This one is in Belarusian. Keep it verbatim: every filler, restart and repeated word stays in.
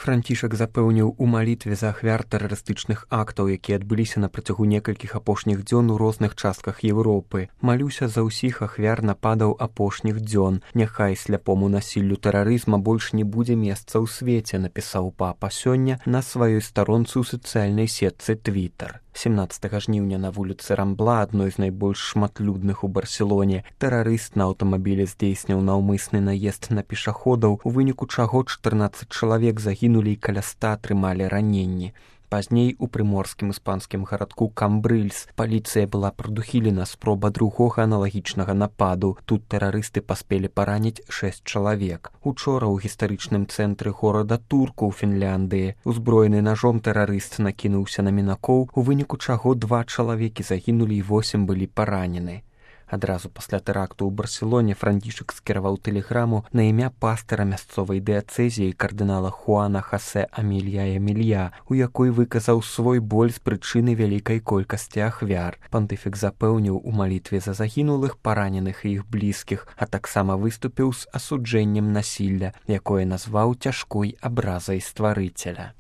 Францішак запэўніў у малітве за ахвяр тэрарыстычных актаў, якія адбыліся на працягу некалькіх апошніх дзён у розных частках Еўропы. Малюся за ўсіх ахвяр нападаў апошніх дзён. Няхай сляпому насіллю тэрарызма больш не будзе месца ў свеце, напісаў папа сёння на сваёй старонцы ў сацыяльнай сетцы Твіттер. семнаццатага жніўня на вуліцы Рамбла, адной з найбольш шматлюдных у Барселоне, тэрарыст на аўтамабілі здзейсніў наўмысны наезд на пешаходаў, у выніку чаго чатырнаццаць чалавек загінулі і каля ста атрымалі раненні. Пазней у прыморскім іспанскім гарадку Камбрыльс паліцыя была прадухілена спроба другога аналагічнага нападу. Тут тэрарысты паспелі параніць шэсць чалавек. Учора ў гістарычным цэнтры горада Турку ў Фінляндыі узброены нажом тэрарыст накінуўся на мінакоў, у выніку чаго два чалавекі загінулі і восем былі паранены. Адразу пасля тэракту ў Барселоне Францішак скіраваў тэлеграму на імя пастара мясцовай дыяцэзіі кардынала Хуана Хосе Амілья Эмілья, у якой выказаў свой боль з прычыны вялікай колькасці ахвяр. Пантыфік запэўніў у малітве за загінулых, параненых і іх блізкіх, а таксама выступіў з асуджэннем насілля, якое назваў цяжкой абразай стварыцеля.